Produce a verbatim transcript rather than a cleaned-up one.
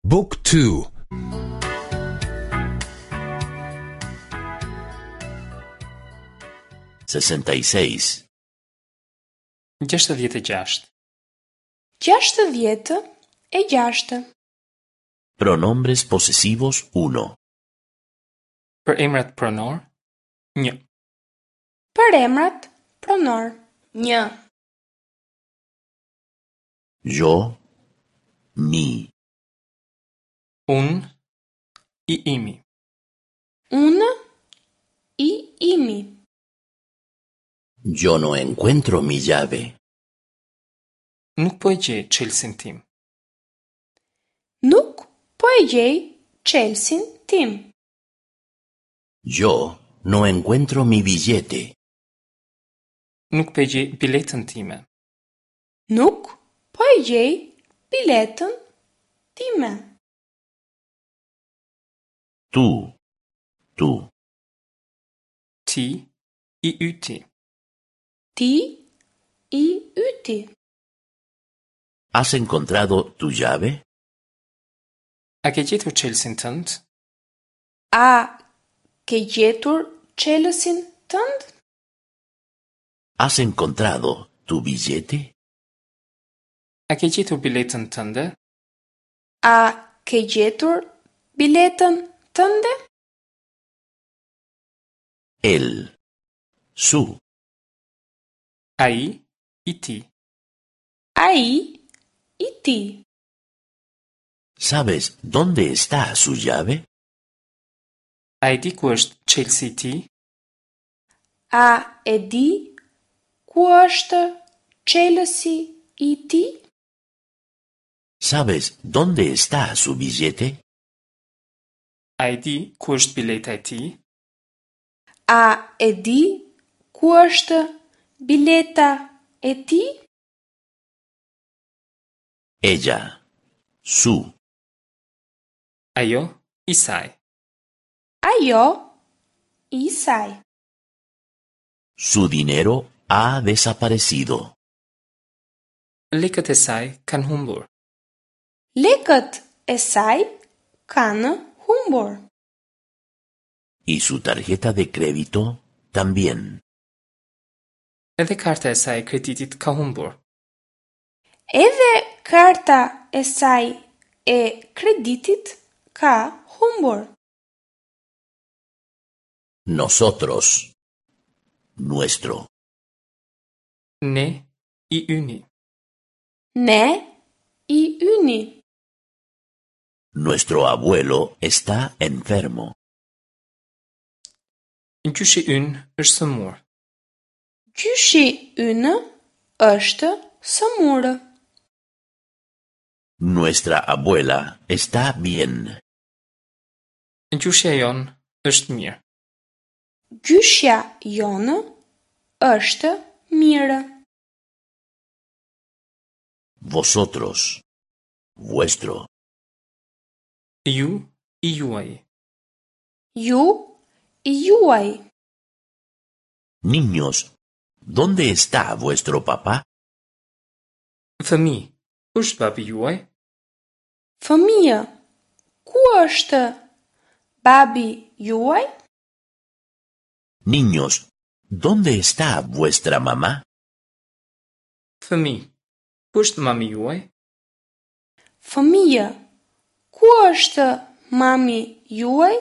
Book two. sesenta y seis. Gjashtëdhjetë e gjashtë. Gjashtëdhjetë e gjashtë. Pronombres posesivos uno. Përemrat pronor, një. Përemrat pronor, një. Yo, mi. Unë, i imi. Unë, i imi. Yo no encuentro mi llave. Nuk po e gjej çelësin tim. Nuk po e gjej çelësin tim. Yo no encuentro mi billete. Nuk po e gjej biletën time. Nuk po e gjej biletën time. Tú, tu. Ti, i yti. Ti, i yti. ¿Has encontrado tu llave? A ke gjetur çelësin tënd? A ke gjetur çelësin tënd? ¿Has encontrado tu billete? A ke gjetur biletën tënde? A ke gjetur biletën tënde? Él, su. Ai, i tij. Ai, i tij. ¿Sabes dónde está su llave? A e di ku është çelësi i tij? A e di ku është çelësi i tij? ¿Sabes dónde está su billete? A e di ku është bileta e tij? A e di ku është bileta e tij? Ella, su. Ajo, i saj. Ajo, i saj. Su dinero ha desaparecido. Lekët e saj kanë humbur. Lekët e saj kanë humbur. Y su tarjeta de crédito también. Edhe karta e saj e kreditit ka humbur. Edhe karta e saj e kreditit ka humbur. Nosotros. Nuestro. Ne, i yni. Ne, i yni. Nuestro abuelo está enfermo. Gjyshi ynë është sëmurë. Gjyshi ynë është sëmurë. Nuestra abuela está bien. Gjyshja jonë është mirë. Gjyshja jonë është mirë. Vosotros. Vuestro. Ju, i juaj. Ju, i juaj. Niños, ¿dónde está vuestro papá? Fëmijë, ku është babi juaj? Fëmijë, ku është babi juaj? Niños, ¿dónde está vuestra mamá? Fëmijë, ku është mami juaj? Fëmijë, ku është mami juaj?